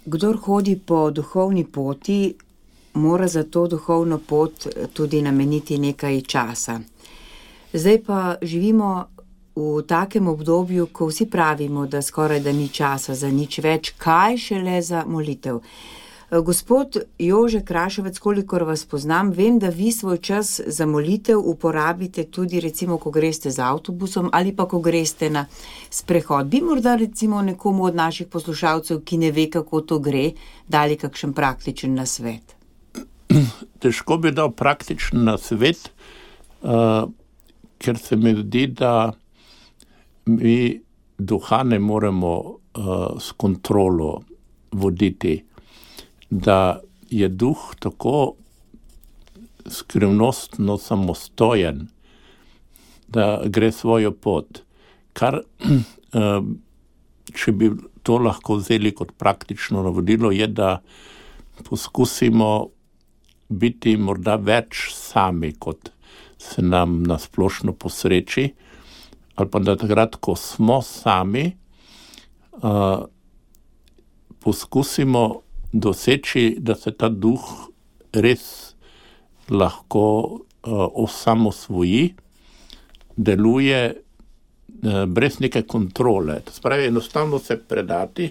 kdor hodi po duhovni poti, mora za to duhovno pot tudi nameniti nekaj časa. Zdaj pa živimo v takem obdobju, ko vsi pravimo, da skoraj da ni časa za nič več, kaj šele za molitev. Gospod Jože Kraševec, kolikor vas poznam, vem, da vi svoj čas za molitev uporabite tudi recimo, ko greste z avtobusom ali pa ko greste na sprehod. Bi morda recimo nekomu od naših poslušalcev, ki ne ve, kako to gre, dali kakšen praktičen nasvet? Težko bi dal praktičen nasvet, ker se mi zdi, da mi duha ne moremo s kontrolo voditi, da je duh tako skrivnostno samostojen, da gre svojo pot. Kar, če bi to lahko vzeli kot praktično navodilo, je, da poskusimo biti morda več sami, kot se nam na splošno posreči, ali pa da takrat, ko smo sami, poskusimo doseči, da se ta duh res lahko osamosvoji, deluje brez neke kontrole. To spravi, enostavno se predati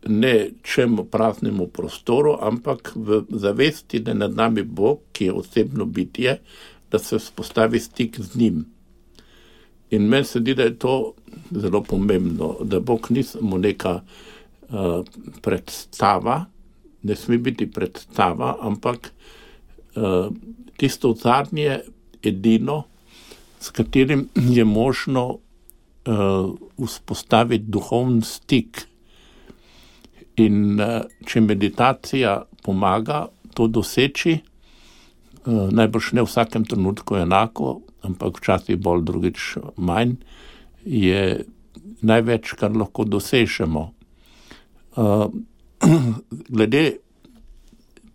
ne čemu praznemu prostoru, ampak v zavesti, da je nad nami Bog, ki je osebno bitje, da se vzpostavi stik z njim. In meni se zdi, da je to zelo pomembno, da Bog ni samo neka predstava, ne sme biti predstava, ampak tisto zadnje edino, s katerim je možno vzpostaviti duhovni stik. In če meditacija pomaga to doseči, najbrž ne v vsakem trenutku enako, ampak včasih bolj, drugič manj, je največ, kar lahko dosežemo. Glede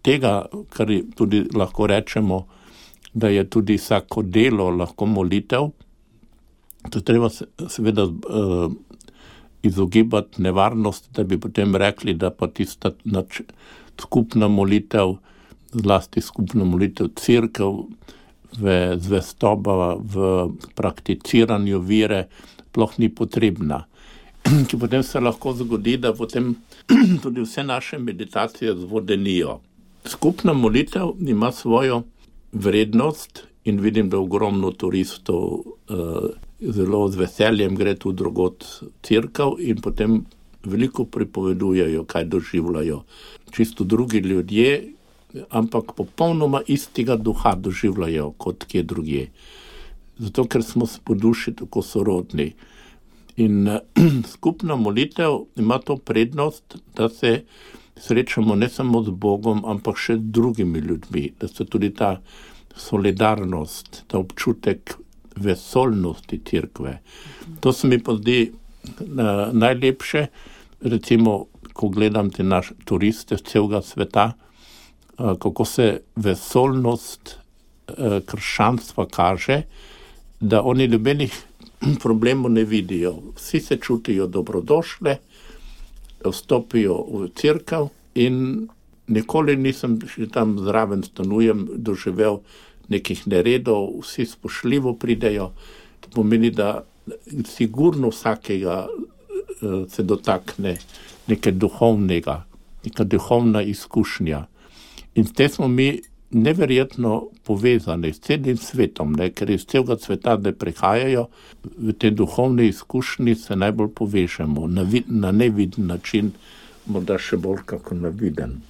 tega, kar tudi lahko rečemo, da je tudi vsako delo lahko molitev, to treba seveda izogibati nevarnost, da bi potem rekli, da pa tista skupna molitev, zlasti skupna molitev cerkev, v zvestoba, v prakticiranju vere, sploh ni potrebna. Ki potem se lahko zgodi, da potem tudi vse naše meditacije zvodenijo. Skupna molitev ima svojo vrednost in vidim, da ogromno turistov zelo z veseljem gre tu drugod cerkev in potem veliko pripovedujejo, kaj doživljajo. Čisto drugi ljudje, ampak popolnoma istega duha doživljajo kot kje drugje. Zato, ker smo po duši tako sorodni. In skupna molitev ima to prednost, da se srečamo ne samo z Bogom, ampak še z drugimi ljudmi, da se tudi ta solidarnost, ta občutek vesoljnosti cerkve. To se mi pa zdi najlepše, recimo, ko gledam te naše turiste z celega sveta, kako se vesoljnost krščanstva kaže, da oni nobenih problemov ne vidijo. Vsi se čutijo dobrodošle, vstopijo v cerkev in nikoli nisem, še tam zraven stanujem, doživel nekih neredov, vsi spoštljivo pridejo. To pomeni, da sigurno vsakega se dotakne nekaj duhovnega, neka duhovna izkušnja. In s tem smo mi neverjetno povezani s celim svetom, ker iz celega sveta, da prihajajo v te duhovne izkušnje, se najbolj povežemo na neviden način, morda še bolj kako na viden.